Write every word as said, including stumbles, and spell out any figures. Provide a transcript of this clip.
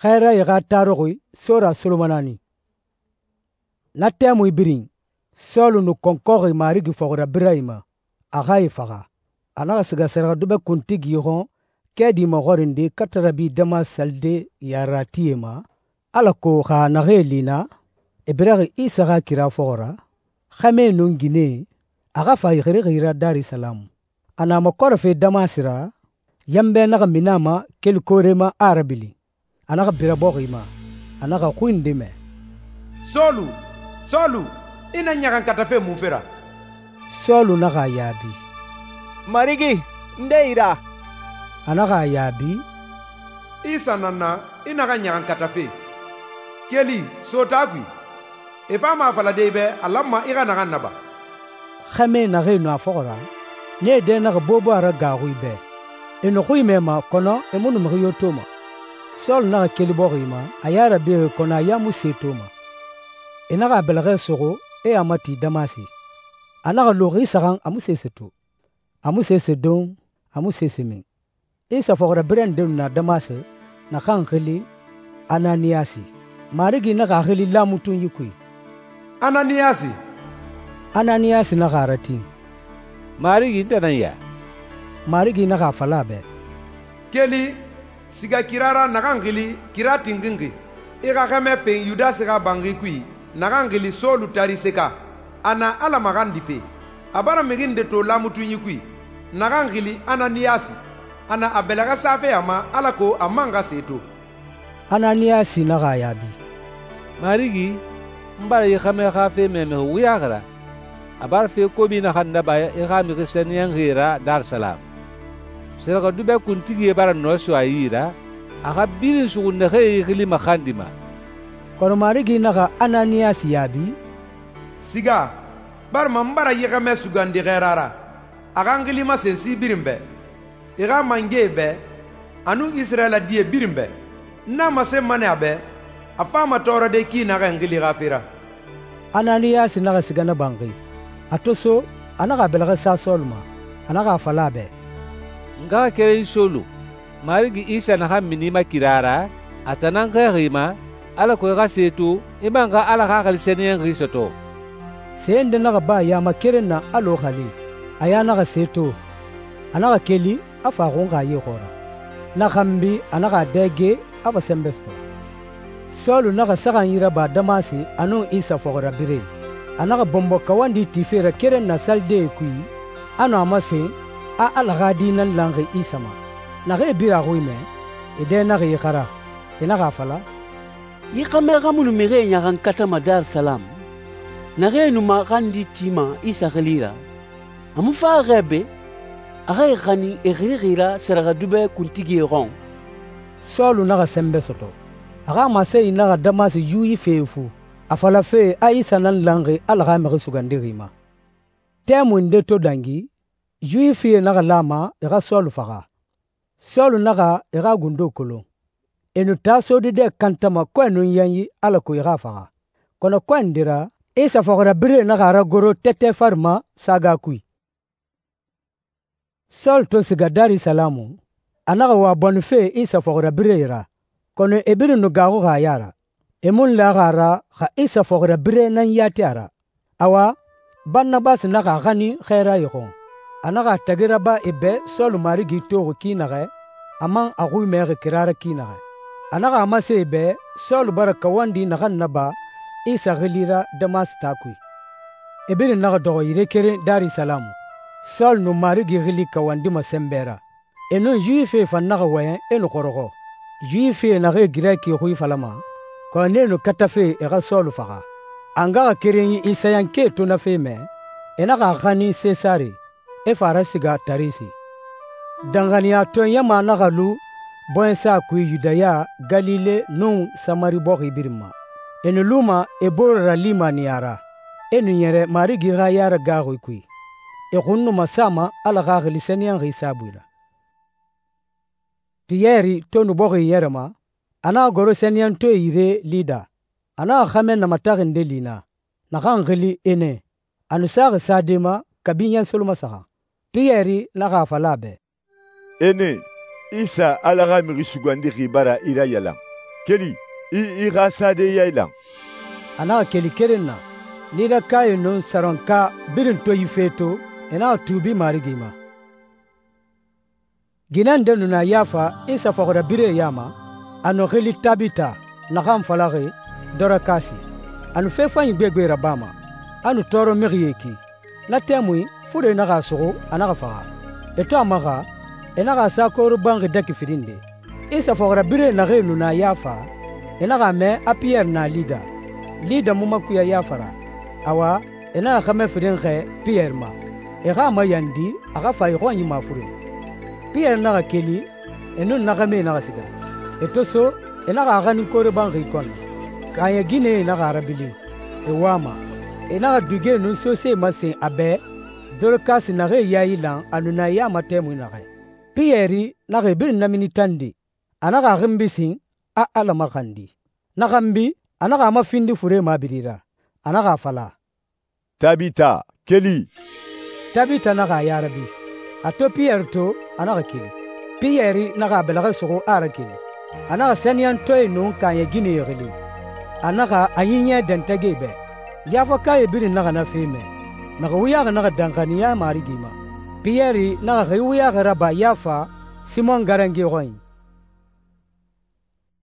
Xɛɛrayi xa taruxui sora solomonani. Na tɛmui birin, Sɔlu nu kɔnkɔxi Marigi fɔxirabirɛe ma, a xa e faxa. A naxa siga sɛrɛxɛdubɛ kuntigi xɔn kɛɛdi maxɔrinde kata rabi Damasi salide yareratie ma, alako xa naxee li naa, e biraxi Isa xa kira fɔxɔ ra, xɛmɛe nun ginɛe, a xa fa e xirixi ra Darisalamu. A na makɔrɛfe Damasi ra, yanbɛ naxa mini a ma keli koore ma a a rabilin. A naxa bira bɔxi ma. A naxa xui nde mɛ, «Sɔlu, Sɔlu, i na ɲaxankatafe munfe ra?» Sɔlu naxa a yaabi, «Marigi, nde i ra?» A naxa a yaabi, «Isa nan na, i naxan ɲaxankatafe. Keli, so taa kui. E fama a falade i bɛ a lanma i xa naxan naba.» Xɛmɛe naxee nu a fɔxɔ ra, nee dɛ naxa bobo a ra gaaxui bɛ. E nu xui mɛma, kɔnɔ e mu nu mixi yo toma. Sɔlu naxa keli bɔxi ma, a ya rabixi kɔnɔ a ya mu se toma. E naxa a bɛlɛxɛ suxu, e a mati Damasi. A naxa lu xi saxan a mu sese to. A mu sese don, a mu sese min. Isa fɔxirabirɛ nde nu na Damasi, naxan xili Ananiyasi. Marigi naxa a xili lamutunyi kui, «Ananiyasi.» Ananiyasi naxa a ratin. «Marigi, n tan nan ya?» Marigi naxa a fala a bɛ, «Keli, siga kira ra naxan xili kira tinxinxi. I xa xɛmɛ fen Yudasi xa banxi kui naxan xili Sɔlu Tariseka. A na Ala maxandife. A bara mixi nde to lamutunyi kui naxan xili Ananiyasi. A na a bɛlɛxɛ safe a ma alako a man xa se to.» Ananiyasi naxa a yaabi, «Marigi, n bara yi xɛmɛ xa fe mɛ mixi wuyaxi ra. A bara fe kobi naxan naba i xa mixi sɛniyɛnxie ra Darisalamu. Sɛrɛxɛdubɛ kuntigie bara nɔ so a yi ra, a xa birin suxu naxee i xili maxandima.» kɔnɔ Marigi naxa Ananiyasi yaabi, «Siga, barima n bara yi xɛmɛ sugandi xɛɛra ra, a xa n xili masen si birin bɛ, i xa mangɛe bɛ, a nun Isirayila die birin bɛ. N na masenma nɛ a bɛ, a fama tɔɔrɔde ki naxɛ n xili xa fe ra.» Ananiyasi naxa siga na banxi. A to so, a naxa a bɛlɛxɛ sa Sɔlu ma. A naxa a fala a bɛ, «N xa keren Sɔlu, Marigi Isa naxan mini i ma kira ra, a tan nan xɛɛxi i ma, alako i xa se to, i man xa Ala Xaxili Sɛniyɛnxi sɔtɔ.» Se nde naxa ba yama keren na alɔ xali. A ya naxa se to. A naxa keli, a fa xunxa ye xɔɔra. Na xanbi a naxa a dɛge, a fa sɛnbɛ sɔtɔ. Sɔlu naxa saxan yi raba Damasi a nun Isa fɔxirabirɛe. A naxa bɔnbɔ kawandi tife ra keren na salidee kui, a nu a masen a Ala xa di nan lanxi Isa ma. Naxee bira a xui mɛ, e dɛ naxa i xara. E naxa a fala, «Yi xɛmɛ xa mu nu mixie ɲaxankatama Darisalamu, naxee nu maxandi tima Isa xili ra, a mu fa xɛɛ be, a xa e xanin e xirixi ra sɛrɛxɛdubɛ kuntigie xɔn.» Sɔlu naxa sɛnbɛ sɔtɔ. A xa masenyi naxa Damasi Yuwifie fu, a falafe a Isa nan lanxi Ala xa mixi sugandixi ma. Tɛmui nde to dangi, Yuwifie naxa lama e xa Sɔlu faxa. Sɔlu naxa e xa gundo kolon. E nu taa sodidɛ kantama kɔɛ nun yanyi alako e xa faxa. Kɔnɔ kɔɛ nde ra, Isa fɔxirabirɛe naxa a ragoro tɛtɛ fari ma saga kui. Sɔlu to siga Darisalamu, a naxa wa bɔnife Isa fɔxirabirɛe ra, kɔnɔ e birin nu gaaxuxi a ya ra. E mu laxi a ra xa Isa fɔxirabirɛ nan yati a ra. Awa, Baranabasi naxa a xanin xɛɛrayi xɔn. A naxa a tagi raba e bɛ Sɔlu Marigi toxi ki naxɛ, a man a xui mɛxi kira ra ki naxɛ. A naxa a masen e bɛ Sɔlu bara kawandi naxan naba Isa xili ra Damasi taa kui. E birin naxa dɔxɔ yire keren Darisalamu. Sɔlu nu Marigi xili kawandima sɛnbɛ ra. E nun Yuwifie fan naxa wɔyɛn e nu xɔrɔxɔ. Yuwifie naxee Girɛki xui falama, kɔnɔ nee nu katafe e xa Sɔlu faxa. A ngaxa kerenyi Isayankee to na fe mɛ, e naxa a xanin Sesare, e fa a rasiga Tarisi. Danxaniyatɔɛ ɲama naxa lu bɔɲɛsa kui Yudaya, Galile nun Samari bɔxi birin ma. E nu luma e bore ra limaniya ra, e nu ɲɛrɛ Marigi xa yara gaaxui kui. E xun nu masama Ala Xaxili Sɛniyɛnxi saabui ra. Piyɛri to nu bɔxi yɛrɛ ma, a naxa goro sɛniyɛntɔɛe yire Lida. A naxa xɛmɛ namataxi nde li naa, naxan xili Ene. A nu saxi sade ma kabi ɲɛnsoloma saxan. Piyɛri naxa a fala a bɛ, «Ene, Isa Ala xa mixi sugandixi bara i rayalan. keli, i i xa sade yailan.» A naxa keli keren na. Lidakae nun saronka birin to yi fe to, e naxa tuubi Marigi ma. Ginɛ nde nu na Yafa Isa fɔxirabirɛe ya ma, a nu xili Tabita, naxan falaxi Dorakasi. A nu fe fanyi gbegbe rabama, a nu tɔɔrɔ mixie ki. Na tɛmui fure naxa a suxu, a naxa faxa. E to a maxa, e naxa a sa koore banxi dɛki firin nde. Isa fɔxirabirɛe naxee nu na Yafa, e naxa a mɛ a Piyɛri na Lida. Lida mu makuya Yafa ra. Awa, e naxa xɛmɛ firin xɛɛ Piyɛri ma, e xa a mayandi a xa fa e xɔnyi mafuren. Piyɛri naxa keli, e nun na xɛmɛe naxa siga. E to so, e naxa a xanin koore banxi kɔnɔ. Kaaɲɛ ginɛe naxa a rabilin, e wama. E naxa dugie nun sosee masen a bɛ, Dorokasi naxee yailan a nu na e ya ma tɛmui naxɛ. Piyɛri naxa e birin namini tande, a naxa a xinbi sin, a Ala maxandi. Na xanbi, a naxa a mafindi fure mabiri ra. A naxa a fala, «Tabita, keli!» Tabita naxa a yarabi. A to Piyɛri to, a naxa keli. Piyɛri naxa a bɛlɛxɛ suxu a rakeli. A naxa sɛniyɛntɔɛe nun kaaɲɛ ginɛe xili. A naxa a ɲiɲɛ dɛntɛgɛ bɛ. Yafakae birin naxa na fe mɛ. Mixi wuyaxi naxa danxaniya Marigi ma. Piyɛri naxa xi wuyaxi raba Yafa Simɔn garange xɔnyi.